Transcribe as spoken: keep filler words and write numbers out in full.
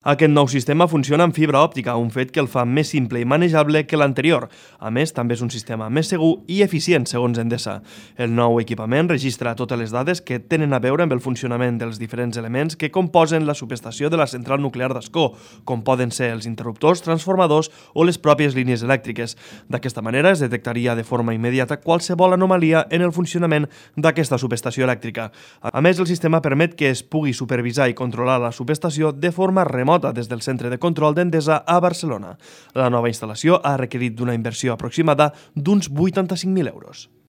Aquest nou sistema funciona amb fibra òptica, un fet que el fa més simple i manejable que l'anterior. A més, també és un sistema més segur i eficient, segons Endesa. El nou equipament registra totes les dades que tenen a veure amb el funcionament dels diferents elements que composen la subestació de la central nuclear d'Ascó, com poden ser els interruptors, transformadors o les pròpies línies elèctriques. D'aquesta manera es detectaria de forma immediata qualsevol anomalia en el funcionament d'aquesta subestació elèctrica. A més, el sistema permet que es pugui supervisar i controlar la subestació de forma remota des del centre de control d'Endesa a Barcelona. La nova instal·lació ha requerit d'una inversió aproximada d'uns vuitanta-cinc mil euros.